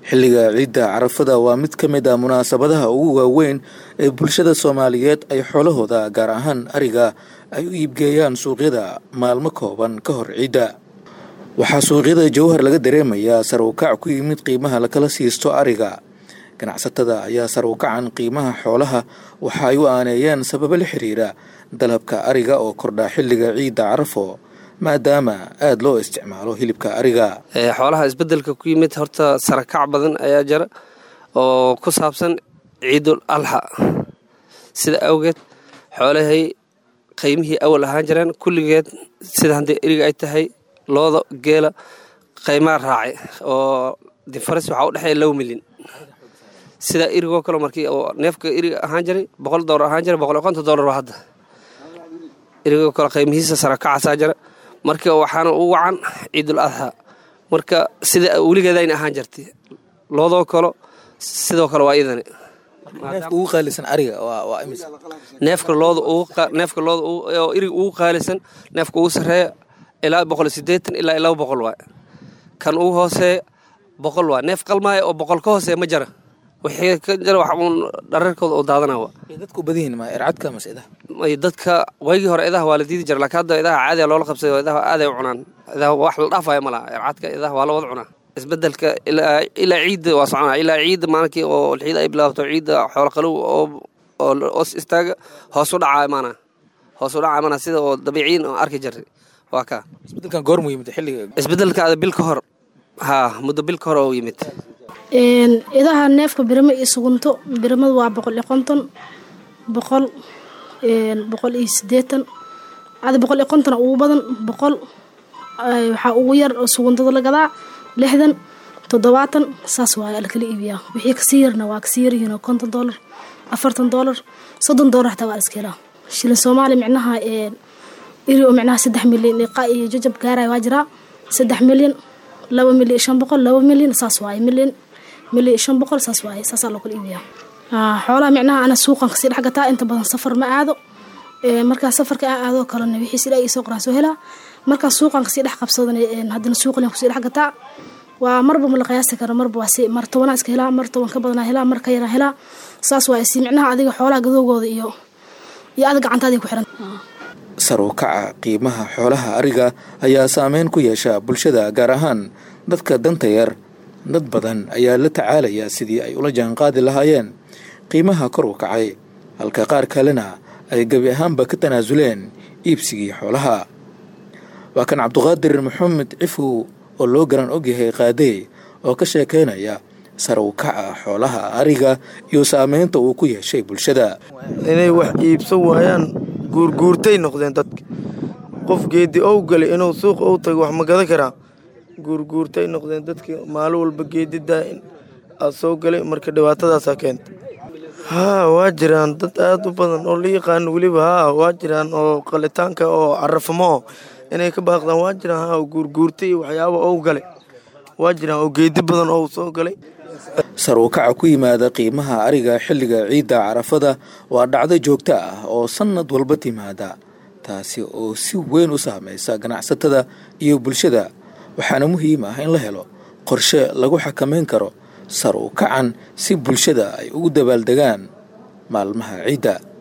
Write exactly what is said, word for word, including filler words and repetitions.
Xilliga ciidda Carafada waa mid ka mid ah munaasabadaha ugu waaweyn ee bulshada Soomaaliyeed ay xoolahooda, gaar ahaan ariga, ay u iibgeeyaan suuqyada maalmo kooban ka hor ciidda. Waxaa suuqyada Jowhar laga dareemayaa sare u kac ku yimid qiimaha lakala siisto ariga. Ganacsatada ayaa sare u kacan qiimaha xoolaha waxa ay u aaneeyeen sababo la xiriira dalabka ariga oo kordha xilliga ciidda Carafo, maadaama aada loo isticmaalo hilibka ariga. Xoolaha isbedelka ku yimid horta sarakac badan ayaa jira oo ku saabsan ciidul alxa. Sida awgeed xoolahay qiymihii awal ahaan jireen kulligeed, sida haddii eriga ay tahay, looda, geela, qiimaa raacay oo difaras waxaa u dhexeeya laba milyan. Sida erigoo kale, markii oo neefka eriga ahaan jiray boqol doolar ahaan jiray, boqol iyo konton doolar waa hadda. Erigoo kale qiimihiisa sarakacaasaa jira. Marka waxaana u wacan ciidul adxa. Marka sida weligeedayna ahaan jirtay, loodoo kalo sidoo kale waa idani. Neefka ugu qaalisan ariga waa waa imisa? Neefka looda ugu, neefka looda oo eriga ugu qaalisan, neefka ugu sarreeya ilaa boqol iyo siddeetan ilaa laba boqol waay. Kan ugu hooseeya boqol waay. Neef qalmaaya oo boqol ka hooseeya ma jara. Wixii ka jira wax uun dhararkooda oo daadana waa. Dadku badan yihiin ma ercadka mase idaha? Dadka waygii hore idaha waa la diidi jira, laakiin hadda idaha caadiya loola qabsaday oo idaha aaday u cunaan. Idaha wax la dhaafayo ma laha. Ercadka, idaha waa la wada cunaa. Isbedelka ilaa ilaa ciidda waa soconaa, ilaa ciidda maalinkii oo ciida ay bilaabto ciidda xoolo qalow oo oo os istaaga, hoos u dhacaa imaanaa, hoos u dhacaa imaanaa, sida oo dabiiciyin oo arki jirtay waa kaa. Isbedelkan goormuu yimid xilliga? Isbedelka ada bil ka hor, haa, muddo bil ka hor oo yimid. Idaha neefka birimo iyo sugunto, birimadu waa boqol iyo konton, boqol, boqol iyo sideetan, ada boqol iyo konton ugu badan, boqol waxaa ugu yar oo suguntada la gadaa lixdan, toddobaatan, saas waay la kala iibiyaa. Wixii kasii yarna waa kasii yaryihiin oo konton doolar, afartan doolar, soddon doolar xataa waa la iska helaa. Shilin Soomaali micnaha iri oo micnaha saddex milyan iqa iyo jajab gaaraya waa jiraa, saddex milyan, laba milyan iyo shan boqol, laba milyan saas waaye, milyan, milyan iyo shan boqol saas waaye, saasaa loo kala iibiyaa xoolaha. Micnaha ana suuqan kasii dhex gataa inta badan, safar ma aado. Markaa safarka aan aadoo kalena wixii sida ii soo qoraan soo helaa. Markaa suuqan kasii dhex qabsadana haddana suuqlan kusii dhex gataa. Waa marba ma la qiyaasi karo, marba waa si mar tobanaa iska helaa, mar toban ka badanaa helaa, mar ka yaraa helaa, saas waaye. Si micnaha adiga xoolaha gadoogooda iyo iyo adiga gacantaadii ku xiran. Sar u kaca qiimaha xoolaha ariga ayaa saameyn ku yeesha bulshada, gaar ahaan dadka danta yar. Dad badan ayaa la tacaalaya sidii ay ula jaanqaadi lahaayeen qiimaha kor u kacay, halka qaar kalena ay gebi ahaanba ka tanaasuleen iibsigii xoolaha. Waa kan Cabduqaadir Maxamed Cifow oo loo garan ogyahay Qaadey oo ka sheekeynaya sare u kaca xoolaha ariga iyo saameynta uu ku yeeshay bulshada. Inay wax iibsan waayaan, guurguurtay noqdeen dadka. Qof geedi ow galay inuu suuqa u tago wax ma gada karaa? Guurguurtay noqdeen dadki, maalin walba geedi daa'in aa soo galay. Marka dhibaatadaasaa keenta. Haa, waa jiraan dad aada u badan oo la yaqaano weliba. Haa, waa jiraan oo qalitaanka oo carafamo inay ka baaqdaan waa jiraan. Haa, guurguurtay iyo waxyaaba ow galay waa jiraan oo geedi badan oo soo galay. Sar u kaca ku yimaada qiimaha ariga xilliga ciidda Carafada waa dhacdo joogto ah oo sannad walba timaada, taasi oo si weyn u saameysa ganacsatada iyo bulshada. Waxaana muhiim ah in la helo qorshe lagu xakameyn karo sar u kacan si bulshada ay ugu dabaaldegaan maalmaha ciidda.